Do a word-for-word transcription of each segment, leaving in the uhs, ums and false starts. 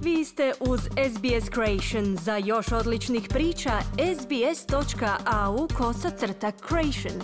Vi ste uz S B S Creation. Za još odličnih priča, sbs.au kosacrta creation.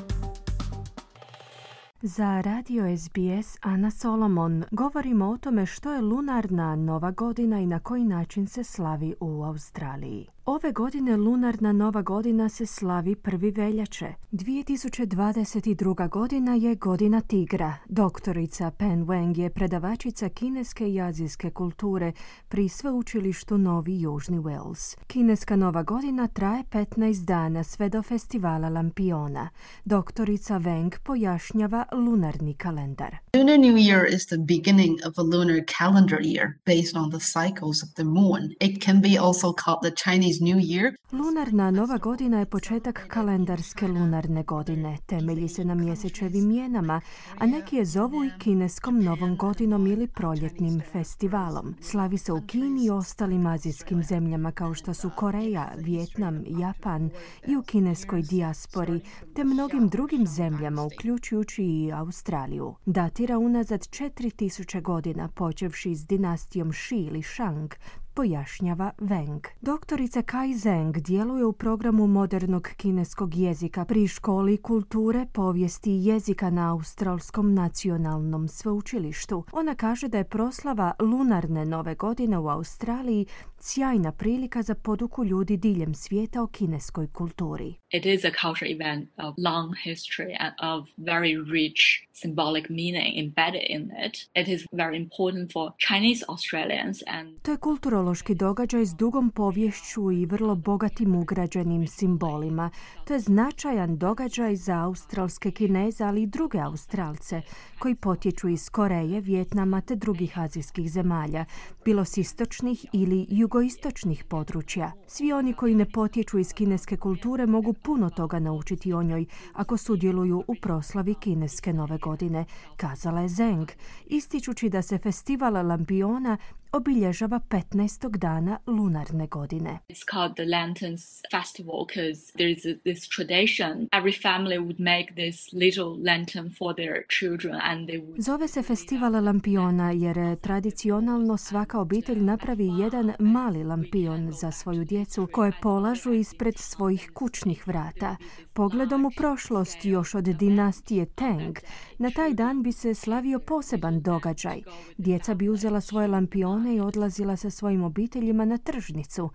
Za radio S B S Ana Solomon govorimo o tome što je lunarna nova godina i na koji način se slavi u Australiji. Ove godine lunarna nova godina se slavi prvi veljače. dvije tisuće dvadeset druga. godina je godina tigra. Doktorica Pen Wang je predavačica kineske i azijske kulture pri sveučilištu Novi Južni Wales. Kineska nova godina traje petnaest dana sve do festivala Lampiona. Doktorica Wang pojašnjava lunarni kalendar. Lunar New Year is the beginning of a lunar calendar year based on the cycles of the moon. It can be also called the Chinese New Year. Lunarna nova godina je početak kalendarske lunarne godine. Temelji se na mjesečevim mjenama, a neki je zovu i kineskom novom godinom ili proljetnim festivalom. Slavi se u Kini i ostalim azijskim zemljama kao što su Koreja, Vijetnam, Japan i u kineskoj dijaspori, te mnogim drugim zemljama, uključujući i Australiju. Datira unazad četiri tisuće godina, počevši s dinastijom Shi ili Shang, pojašnjava Wang. Doktorica Kai Zheng djeluje u programu modernog kineskog jezika pri školi kulture, povijesti i jezika na Australskom nacionalnom sveučilištu. Ona kaže da je proslava lunarne nove godine u Australiji sjajna prilika za poduku ljudi diljem svijeta o kineskoj kulturi. It is a cultural event of long history and of very rich symbolic meaning embedded in it. It is very important for Chinese Australians and To je kulturološki događaj s dugom poviješću i vrlo bogatim ugrađenim simbolima. To je značajan događaj za australske Kineze, ali i druge Australce koji potječu iz Koreje, Vijetnama te drugih azijskih zemalja, bilo s istočnih ili jugoistočnih područja. Svi oni koji ne potječu iz kineske kulture mogu puno toga naučiti o njoj ako sudjeluju u proslavi kineske nove godine, kazala je Zheng, ističući da se festival Lampiona obilježava petnaestog dana lunarne godine. it's called the Lanterns Festival because there is a, this tradition. Every family would make this little lantern for their children and they would Zove se festival Lampiona jer tradicionalno svaka obitelj napravi jedan mali lampion za svoju djecu koje polažu ispred svojih kućnih vrata. Pogledom u prošlost još od dinastije Tang, na taj dan bi se slavio poseban događaj. Djeca bi uzela svoje lampione i odlazila sa svojim obiteljima na tržnicu,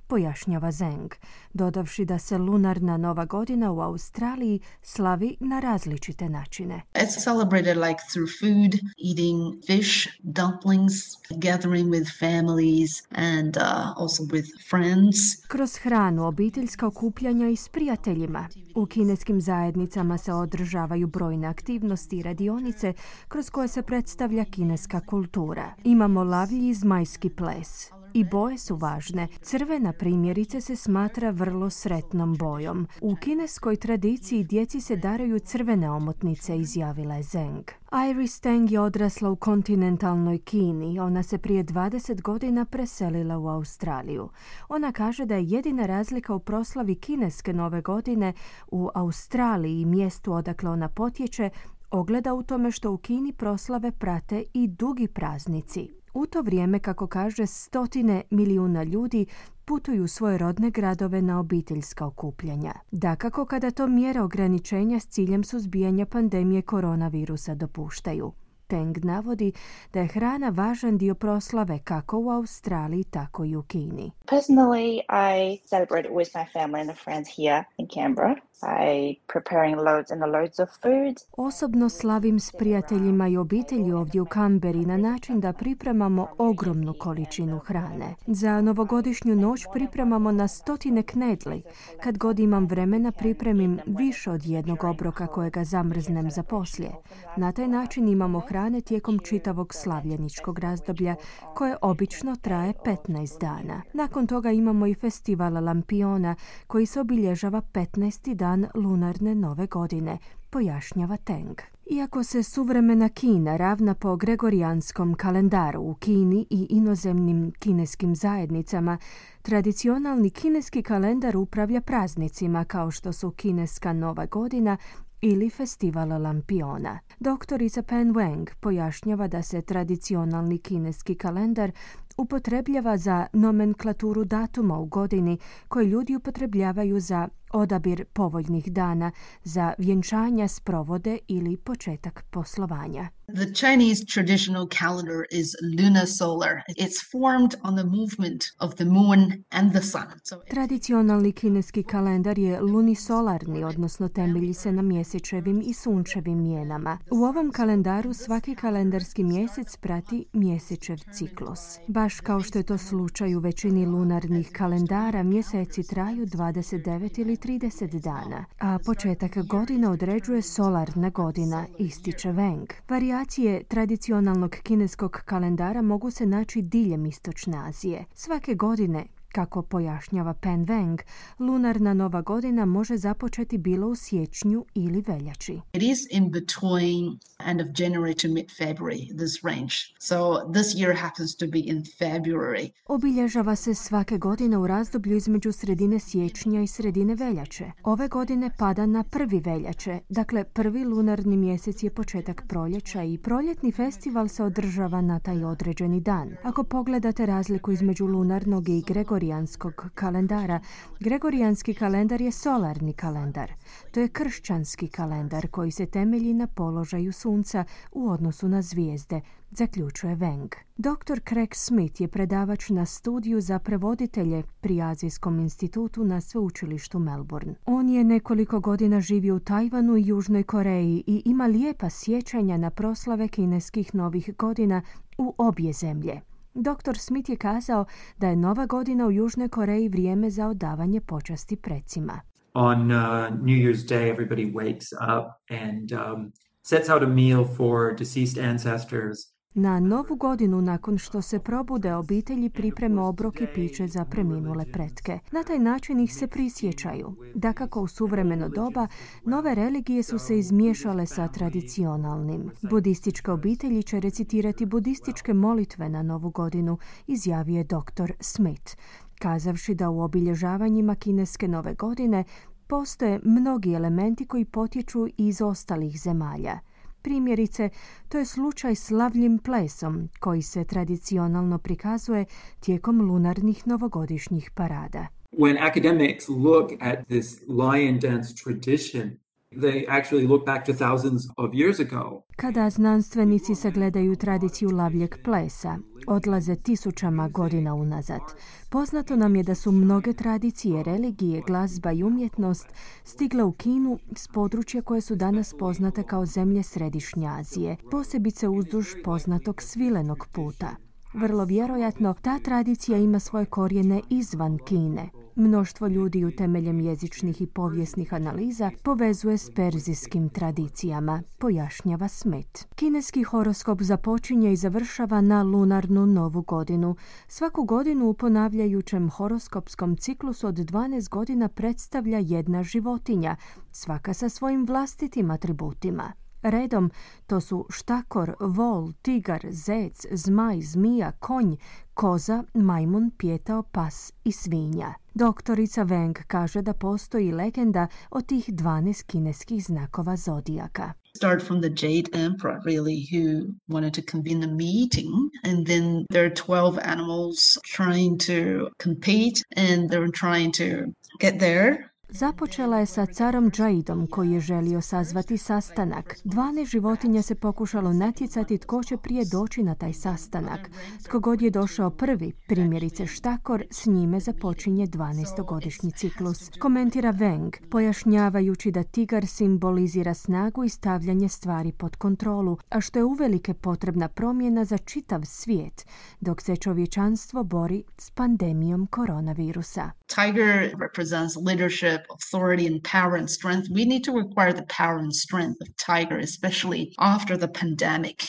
pojašnjava Zheng, dodavši da se lunarna nova godina u Australiji slavi na različite načine. It's celebrated like through food, eating fish, dumplings, gathering with families and uh, also with friends. Kroz hranu, obiteljska okupljanja i s prijateljima. U kineskim zajednicama se održavaju brojne aktivnosti i radionice kroz koje se predstavlja kineska kultura. Imamo lavlji i zmajski ples. I boje su važne. Crvena primjerice se smatra vrlo sretnom bojom. U kineskoj tradiciji djeci se daraju crvene omotnice, izjavila je Zheng. Iris Tang je odrasla u kontinentalnoj Kini. Ona se prije dvadeset godina preselila u Australiju. Ona kaže da je jedina razlika u proslavi kineske nove godine u Australiji i mjestu odakle ona potječe ogleda u tome što u Kini proslave prate i dugi praznici. U to vrijeme, kako kaže, stotine milijuna ljudi putuju u svoje rodne gradove na obiteljska okupljanja. Dakako, kada to mjere ograničenja s ciljem suzbijanja pandemije koronavirusa dopuštaju. Teng navodi da je hrana važan dio proslave kako u Australiji, tako i u Kini. Personally, I celebrate it with my family and friends here in Canberra by preparing loads and loads of food. Osobno slavim s prijateljima i obitelji ovdje u Kamberi na način da pripremamo ogromnu količinu hrane. Za novogodišnju noć pripremamo na stotine knedli. Kad god imam vremena pripremim više od jednog obroka kojega zamrznem za poslije. Na taj način imamo hrane tijekom čitavog slavljeničkog razdoblja koje obično traje petnaest dana. Nakon toga imamo i festival Lampiona koji se obilježava petnaesti dan lunarne nove godine, pojašnjava Teng. Iako se suvremena Kina ravna po gregorijanskom kalendaru u Kini i inozemnim kineskim zajednicama, tradicionalni kineski kalendar upravlja praznicima kao što su kineska nova godina ili festival Lampiona. Doktorica Pen Wang pojašnjava da se tradicionalni kineski kalendar upotrebljava za nomenklaturu datuma u godini koje ljudi upotrebljavaju za odabir povoljnih dana, za vjenčanja, sprovode ili početak poslovanja. The Chinese traditional calendar is lunar solar. It's formed on the movement of the moon and the sun. So Tradicionalni kineski kalendar je lunisolarni, odnosno temelji se na mjesečevim i sunčevim mjenama. U ovom kalendaru svaki kalendarski mjesec prati mjesečev ciklus. Baš kao što je to slučaj u većini lunarnih kalendara, mjeseci traju dvadeset devet ili trideset dana, a početak godine određuje solarna godina, ističe Wang. Varijacije tradicionalnog kineskog kalendara mogu se naći diljem Istočne Azije. Svake godine, kako pojašnjava Pen Wang, lunarna nova godina može započeti bilo u siječnju ili veljači. it is in between end of January to mid-February, this range. So this year happens to be in February. Obilježava se svake godine u razdoblju između sredine siječnja i sredine veljače. Ove godine pada na prvi veljače, dakle prvi lunarni mjesec je početak proljeća i proljetni festival se održava na taj određeni dan. Ako pogledate razliku između lunarnog i gregorijanskog kalendara, gregorijanski kalendar je solarni kalendar. To je kršćanski kalendar koji se temelji na položaju sunca u odnosu na zvijezde, zaključuje Wang. doktor Craig Smith je predavač na studiju za prevoditelje pri Azijskom institutu na sveučilištu Melbourne. On je nekoliko godina živio u Tajvanu i Južnoj Koreji i ima lijepa sjećanja na proslave kineskih novih godina u obje zemlje. doktor Smith je kazao da je Nova godina u Južnoj Koreji vrijeme za odavanje počasti precima. On uh, New Year's Day, everybody wakes up and um, sets out a meal for deceased ancestors. Na Novu godinu, nakon što se probude, obitelji pripreme obrok i piće za preminule pretke. Na taj način ih se prisjećaju. Dakako, u suvremeno doba, nove religije su se izmiješale sa tradicionalnim. Budističke obitelji će recitirati budističke molitve na Novu godinu, izjavio je doktor Smith, kazavši da u obilježavanjima kineske nove godine postoje mnogi elementi koji potječu iz ostalih zemalja. Primjerice, to je slučaj s lavljim plesom koji se tradicionalno prikazuje tijekom lunarnih novogodišnjih parada. When academics look at this lion dance tradition, they actually look back to thousands of years ago. Kada znanstvenici sagledaju tradiciju lavljeg plesa, odlaze tisućama godina unazad. Poznato nam je da su mnoge tradicije, religije, glazba i umjetnost stigle u Kinu s područja koje su danas poznate kao zemlje Središnje Azije, posebice uzduž poznatog svilenog puta. Vrlo vjerojatno, ta tradicija ima svoje korijene izvan Kine. Mnoštvo ljudi utemeljem jezičnih i povijesnih analiza povezuje s perzijskim tradicijama, pojašnjava Smith. Kineski horoskop započinje i završava na lunarnu novu godinu. Svaku godinu u ponavljajućem horoskopskom ciklusu od dvanaest godina predstavlja jedna životinja, svaka sa svojim vlastitim atributima. Redom, to su štakor, vol, tigar, zec, zmaj, zmija, konj, koza, majmun, pijetao, pas i svinja. Doktorica Wang kaže da postoji legenda o tih dvanaest kineskih znakova zodijaka. Start from the Jade Emperor, really, who wanted to convene a meeting, and then there are twelve animals trying to compete, and they're trying to get there. Započela je sa carom Jadeom koji je želio sazvati sastanak. dvanaest životinja se pokušalo natjecati tko će prije doći na taj sastanak. Tko god je došao prvi, primjerice štakor, s njime započinje dvanaestogodišnji ciklus. Komentira Wang, pojašnjavajući da tigar simbolizira snagu i stavljanje stvari pod kontrolu, a što je uvelike potrebna promjena za čitav svijet, dok se čovječanstvo bori s pandemijom koronavirusa. Tiger represents leadership, authority, and power and strength. We need to acquire the power and strength of tiger, especially after the pandemic.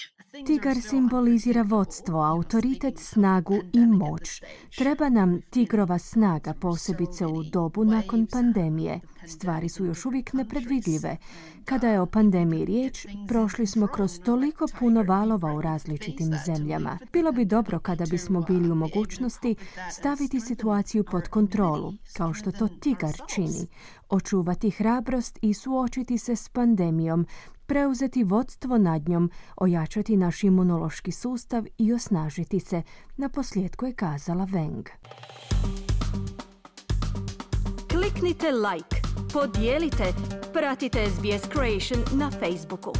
Tigar simbolizira vodstvo, autoritet, snagu i moć. Treba nam tigrova snaga, posebice u dobu nakon pandemije. Stvari su još uvijek nepredvidljive. Kada je o pandemiji riječ, prošli smo kroz toliko puno valova u različitim zemljama. Bilo bi dobro kada bismo bili u mogućnosti staviti situaciju pod kontrolu, kao što to tigar čini, očuvati hrabrost i suočiti se s pandemijom, preuzeti vodstvo nad njom, ojačati naš imunološki sustav i osnažiti se, naposljetku je kazala Wang. Kliknite like, podijelite, pratite S B S Creation na Facebooku.